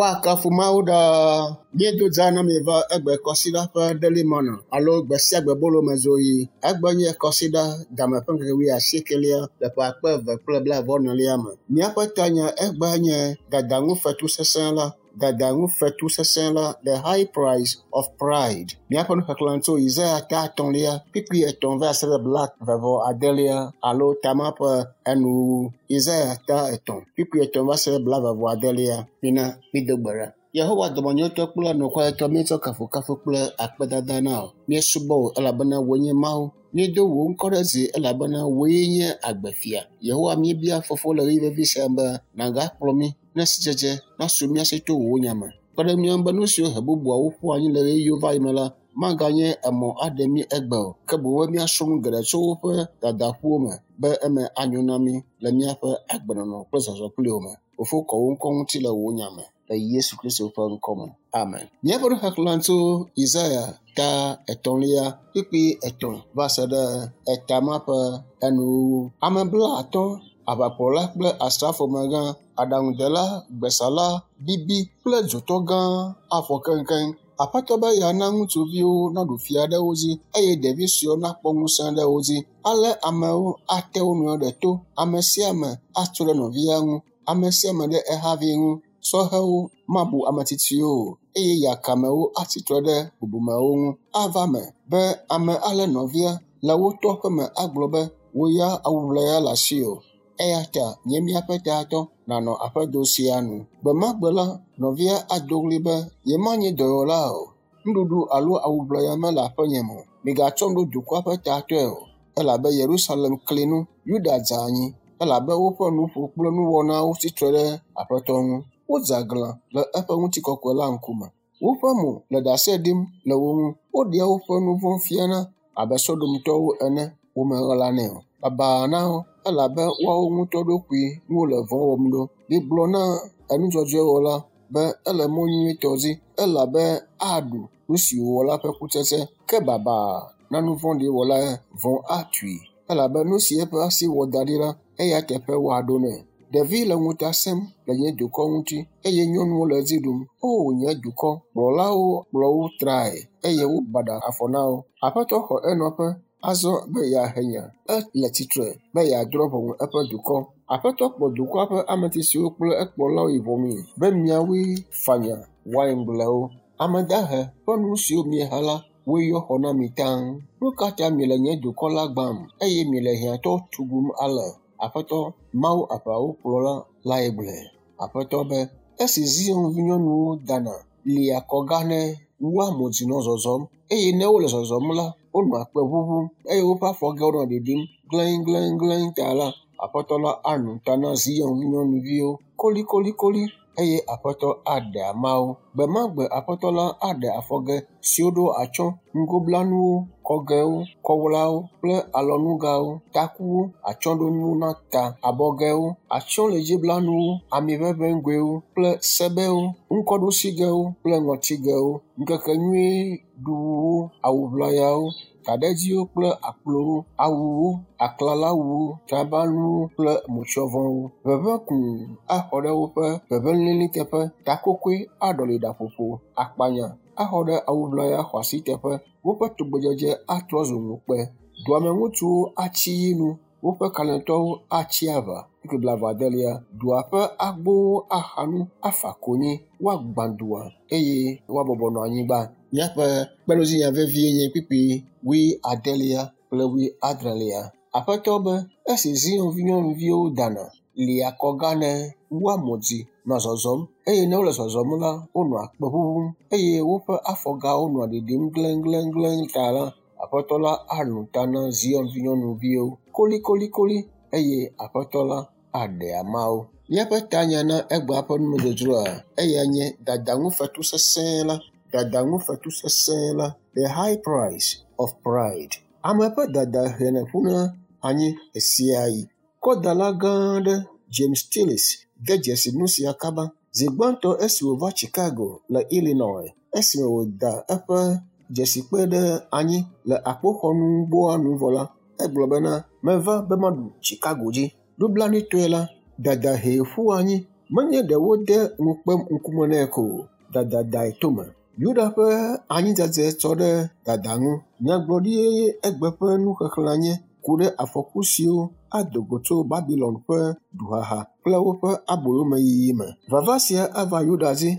Woakafu Mawu ɖaa. Míedo dza na mi va egbe kɔsiɖa ƒe Daily Manna alo gbe sia gbe bolomezoɣi. Egbe nye kɔsiɖa game ƒe ŋkeke wuiasiekelia le ƒe akpe eve kple blaeve-vɔ-enelia me. Míaƒe tanya egbea nye dadaŋufetu sesẽ la. Dadaŋufetu sesẽ la, the high price of pride. Míaƒe nuxexlẽ tso Yesaya ta etɔ̃lia, kpukpui etɔ̃ va se ɖe blaeve vɔ adelia alo tama ƒe enuwuwu. Yesaya ta etɔ̃, kpukpui etɔ̃ va se ɖe blaeve vɔ adelia. Mina mído gbe ɖa. Yehowa dɔmenyotɔ kple anukwaretɔ míetsɔ kafukafu kple akpedada na wò. Míesubɔ wò elabena wòe nye Mawu. Míedo wò ŋkɔ ɖe dzi elabena wòe nye agbefia. Yehowa míebia fofo le ɣeyiɣi vevi sia be nàgakplɔ mí ne sidzedze nasu mía si to wò nya me. Kpe ɖe mía ŋu be nu siwo he bubuawo ƒu anyi le ɣeyiɣiwo va yi me la maganye emɔ aɖe mí egbe o, ke boŋ be míasrɔ̃ nu geɖe tso woƒe dadaƒuwo me be eme anyo na mí le míaƒe agbenɔnɔ kple zɔzɔ kpli wo me. Fofo kɔ wò ŋkɔ ŋuti le wò nya me le Yesu Kristo ƒe ŋkɔ me. Amen. Míaƒe nuxexlẽ tso Yesaya ta etɔ̃lia kpukpui etɔ̃ va se ɖe eta ma ƒe enuwuwu. Ame blaatɔ̃, aʋakplɔla kple asrafomegã, aɖaŋudela, gbesala, bibi kple dzotɔ gã afɔ keŋkeŋ. Aƒetɔ be yeana ŋutsuviwo naɖu fia ɖe wo dzi eye ɖevi suewo nakpɔ ŋusẽ ɖe wo dzi. Ale amewo ate wo nɔewo ɖe to. Ame sia ame atso ɖe nɔvia ŋu. Ame sia ame ɖe ehavi ŋu. Sɔhewo mabu ame tsitsiwo o eye yakamewo atsi tre ɖe bubumewo ŋu. Ava eme be ame alé nɔvia le wo tɔ ƒeme agblɔ be, wò ya awu ʋlaya le asiwò. Eya ta nye míaƒe tatɔ nànɔ aƒedo sia nu. Gbe ma gbe la, nɔvia ado ɣli be, yemanye dɔwɔla o. Nuɖuɖu alo awu ʋlaya mele aƒenye me o. Migatsɔm ɖo dukɔa ƒe tatɔe o. Elabe Yerusalem kli nu, Yuda dze anyi elabe woƒe nuƒo kple nuwɔnawo tsi tre ɖe Aƒetɔ ŋu. Wodze aglã le eƒe ŋutikɔkɔe la ŋkume. Woƒe mo le ɖase ɖim le wo ŋu. Woɖea woƒe nu vɔ̃ fiana abe Sodomtɔwo ene. Womeɣlanɛ o. Babaa na wo elabe woawo ŋutɔ ɖokui ŋu wole vɔ̃ wɔm ɖo. Migblɔ na enudzɔdzɔewɔla be ele mɔ nyuitɔ dzi elabe aɖu nu si wòwɔ la ƒe kutsetse. Ke babaa na nu vɔ̃ɖi wɔla vɔ̃ atui elabe nu si eƒe asi wɔ da ɖi la, eya teƒe woaɖo nɛ. Ɖevi le ŋuta sẽm le nye dukɔ ŋuti eye nyɔnuwo le edzi ɖum. O nye dukɔ, kplɔlawo kplɔ wo trae eye wobaɖa afɔ na wo. Aƒetɔ xɔ enɔƒe azɔ be yeahe nya. Ele tsitre be yeadrɔ̃ ʋɔnu eƒe dukɔ. Aƒetɔ kplɔ dukɔa ƒe ame tsitsiwo kple ekplɔlawo yi ʋɔnui be miawoe fanya waingblewo. Ame dahe ƒe nu siwo mieha la, woe yɔ xɔ na mi taŋ. Nu ka ta miele nye dukɔ la gbãm eye miele hiãtɔwo tugum ale? Aƒetɔ, Mawu aʋawokplɔla lae gblɔe. Aƒetɔ be, esi Zion vinyɔnuwo dana lia kɔga ne wua mo dzi nɔ zɔzɔm eye ne wole zɔzɔm la, wonɔa kpe ʋuʋum eye woƒe afɔgɛwo nɔ ɖiɖim gleŋgleŋgleŋ ta la, Aƒetɔ la alũ ta na Zion vinyɔnuviwo kolikolikoli eye Aƒetɔ aɖe ama wo. Gbe ma gbe Aƒetɔ la aɖe afɔgɛ siwo ɖo atsyɔ̃, ŋgoblanuwo, kɔgɛwo, kɔwlawo kple alɔnugawo, takuwo, atsyɔ̃ɖonuwo na ta, abɔgɛwo, atsyɔ̃lidziblanuwo, amiʋeʋẽgoewo kple sebewo, ŋkɔɖusigɛwo kple ŋɔtigɛwo, ŋkekenyuiɖuwuwo, awu ʋlayawo, taɖedziwo kple akplowo, awuwo, aklalawuwo, trabanuwo kple motsyɔvɔwo. Ʋeʋẽ kũu axɔ ɖe woƒe ʋeʋẽ lĩlĩ teƒe, takokoe aɖɔli ɖaƒoƒo, akpanya axɔ ɖe awu ʋlaya xɔasi teƒe. Woƒe tugbedzedze atrɔ zu ŋukpe. Dua me ŋutsuwo atsi yi nu, woƒe kalẽtɔwo atsi aʋa. Kpukpui blaeve adelia, dua ƒe agbowo axa nu, afa konyi, woagbã dua eye woabɔbɔ nɔ anyigba. Míaƒe kpeɖodzinya vevie nye kpukpui wuiadelia kple wuiadrelia. Aƒetɔ be, esi Zion vinyɔnuviwo dana, lia kɔga ne wua mo dzi nɔ zɔzɔm eye ne wole zɔzɔm la, wonɔa kpe ʋuʋum eye woƒe afɔgawo nɔa ɖiɖim gleŋgleŋgleŋ ta la, Aƒetɔ la alũ ta na Zion vinyɔnuviwo kolikolikoli eye Aƒetɔ la aɖe ama wo. Míaƒe tanya na egbea ƒe numedzodzroa, eya nye dadaŋufetu sesẽ la. Dadaŋufetu sesẽ la, the high price of pride. Ame ƒe dada henɛ ƒuna anyi ɣesiaɣi. Kɔdala gã aɖe, James Tillis, de dzesi nu sia kaba. Zi gbãtɔ esi wòva Chicago le Illinois, esime wòda eƒe dzesikpe ɖe anyi le akpoxɔnugboa nu vɔ la, egblɔ bena, meva be maɖu Chicago dzi. Nublanuitɔe la, dada hee ƒu anyi. Menye ɖe wode ŋukpe ŋkume nɛ ko o, dada dae tome. Yuda ƒe anyidzedze tsɔ ɖe dada ŋu. Nyagblɔɖie egbe ƒe nuxexlẽa nye ku ɖe afɔku siwo ado go tso Babilon ƒe duhaha kple woƒe aboyomeyiyi me. Vava sia ava Yuda dzi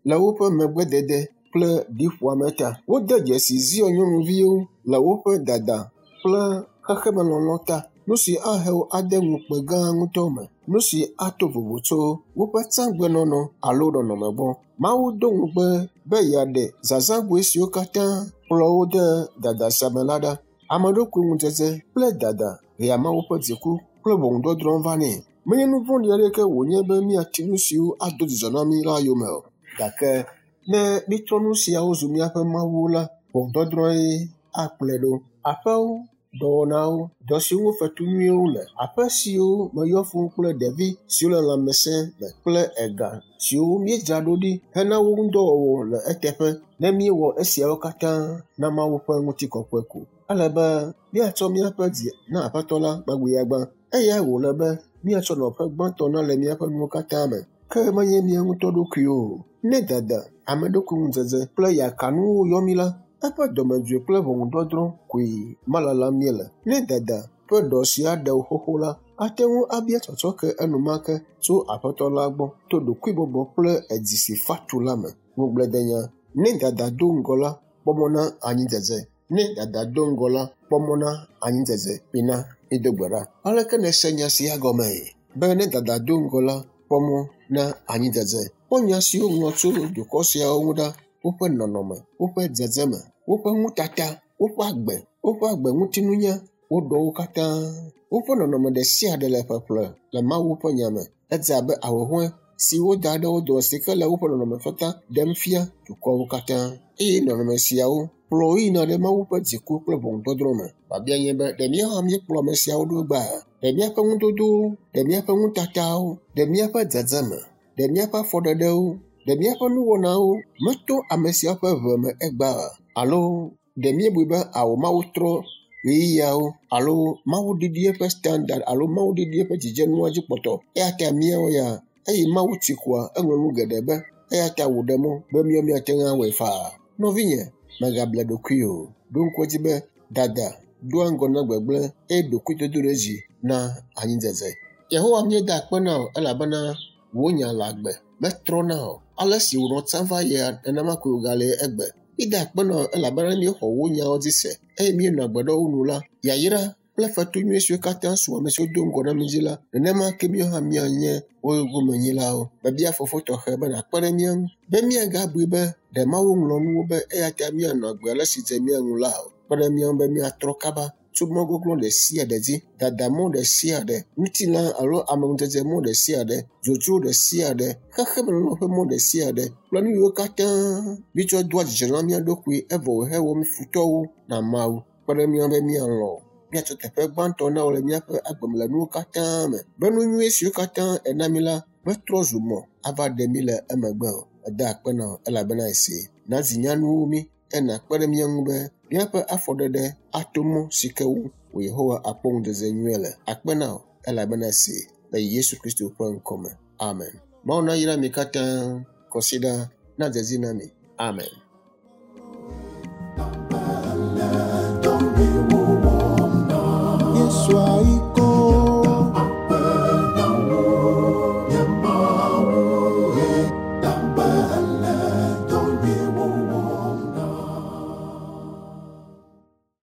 le woƒe megbedede kple ɖiƒoame ta. Wode dzesi Zion nyɔnuviwo le woƒe dada kple xexemelɔlɔ̃ ta. Nu si ahe wo ade ŋukpe gã ŋutɔ me. Nu si ato vovo tso woƒe tsãgbenɔnɔ alo nɔnɔme gbɔ. Mawu do ŋugbe be yeaɖe zazãgoe siwo katã kplɔ wo de dada sia me la ɖa. Ameɖokuiŋudzedze kple dada hea Mawu ƒe dziku kple ʋɔnudɔdrɔ̃ vanɛ. Menye nu vɔ̃ɖi aɖeke wònye be míati nu siwo ado dzidzɔ na mí la yome o. Gake ne mítrɔ nu siawo zu míaƒe mawuwo la, ʋɔnudɔdrɔ̃e akplɔe ɖo. Aƒewo, dɔwɔnawo, dɔ siwo ŋu fetu nyuiwo le, aƒe siwo me yɔ fũu kple ɖevi siwo le lãmesẽ me kple ega siwo míedzra ɖo ɖi hena wo ŋudɔwɔwɔ le eteƒe. Ne míewɔ esiawo katã na Mawu ƒe ŋutikɔkɔe ko. Ele be míatsɔ míaƒe dzi na Aƒetɔ la gbagbiagbã. Eyae wòle be míatsɔ nɔƒe gbãtɔ na le míaƒe nuwo katã me, ke menye mía ŋutɔ ɖokuiwo o. Ne dada, ameɖokuiŋudzedze kple yakanuwo yɔ mí la, eƒe dɔmedzoe kple ʋɔnudɔdrɔ̃ koe malalam míele. Ne dada ƒe ɖɔ sia ɖe wò xoxo la, ate ŋu abia tsɔtsɔke enumake tso Aƒetɔ la gbɔ to ɖokuibɔbɔ kple edzi si fa tu la me. Ŋugbledenya. Ne dada do ŋgɔ la, kpɔ mɔ na anyidzedze. Ne dada do ŋgɔ la, kpɔ mɔ na anyidzedze. Mina mído gbe ɖa. Aleke nèse nya sia gɔmee? Be ne dada do ŋgɔ la, kpɔ mɔ na anyidzedze. Kpɔ nya siwo woŋlɔ tso dukɔ siawo ŋu ɖa. Woƒe nɔnɔme, woƒe dzedzeme, woƒe nutata, woƒe agbe, woƒe agbeŋutinunya, wo ɖɔwo katã. Woƒe nɔnɔme ɖe sia ɖe le ƒeƒle le Mawu ƒe nya me. Edze abe ahuhɔ̃e si woda ɖe wo dome si ke le woƒe nɔnɔmetata ɖem fia dukɔwo katã. Eye nɔnɔme siawo kplɔ wo yina ɖe Mawu ƒe dziku kple ʋɔnudɔdrɔ̃ me. Biabia nye be, ɖe míawo hã míekplɔ ame siawo ɖo egbea? Ɖe míaƒe nudodowo, ɖe míaƒe nutatawo, ɖe míaƒe dzedzeme, ɖe míaƒe afɔɖeɖewo, ɖe míaƒe nuwɔnawo meto ame siawo ƒe ʋe me egbea? Alo ɖe míebui be ao Mawu trɔ ɣeyiɣiawo alo Mawu ɖiɖi eƒe standard alo Mawu ɖiɖi eƒe dzidzenua dzi kpɔtɔ? Eya ta míawo ya eyi Mawu tsi koa, eŋlɔ nu geɖe be eya ta wòɖe mɔ be míawo míate ŋu awɔe faa. Nɔvinye, mègable ɖokuiwò o. Ɖo ŋku edzi be dada doa ŋgɔ na gbegblẽ eye ɖokuidodoɖedzi na anyidzedze. Yehowa míeda akpe na wò elabena wò nya le agbe, metrɔna o. Ale si wònɔ tsã va yia, nenema koe wògale egbe. Míeda akpe na wò elabena míexɔ wò nyawo dzi se eye míenɔ agbe ɖe wo nu la, yayra kple fetu nyui siwo katã su ame siwo do ŋgɔ na mí dzi la, nenema ke míawo hã míanye wo gomenyilawo. Mebia Fofo tɔxɛ be nàkpe ɖe mía ŋu be míagabui be ɖe Mawu ŋlɔ nuwo be eya ta míanɔ agbe ale si dze mía ŋu la o. Kpe ɖe mía ŋu be míatrɔ kaba tso mɔ gɔglɔ̃ ɖe sia ɖe dzi, dadamɔ ɖe sia ɖe, ŋutilã alo ameŋudzedze mɔ ɖe sia ɖe, dzodzro ɖe sia ɖe, xexemenɔnɔ ƒe mɔ ɖe sia ɖe kple nu yiwo katã míetsɔ doa dzidzɔ na mía ɖokui evɔ wòhewɔ mí futɔwo na Mawu. Kpe ɖe mía ŋu be míalɔ̃ míatsɔ teƒe gbãtɔ na wò le míaƒe agbe me le nuwo katã me be nu nyui siwo katã èna mí la metrɔ zu mɔ ava ɖe mí le emegbe o. Meda akpe na wò elabena èsee. Na zi nyanuwo mí eye nàkpe ɖe mía ŋu be míaƒe afɔɖeɖe ato mɔ si ke ŋu wò Yehowa akpɔ ŋudzedze nyuie le. Akpe na wò elabena èsee le Yesu Kristo ƒe ŋkɔ me. Amen. Mawu nayra mi katã. Kɔsiɖa nadze edzi na mi. Amen. Yesua.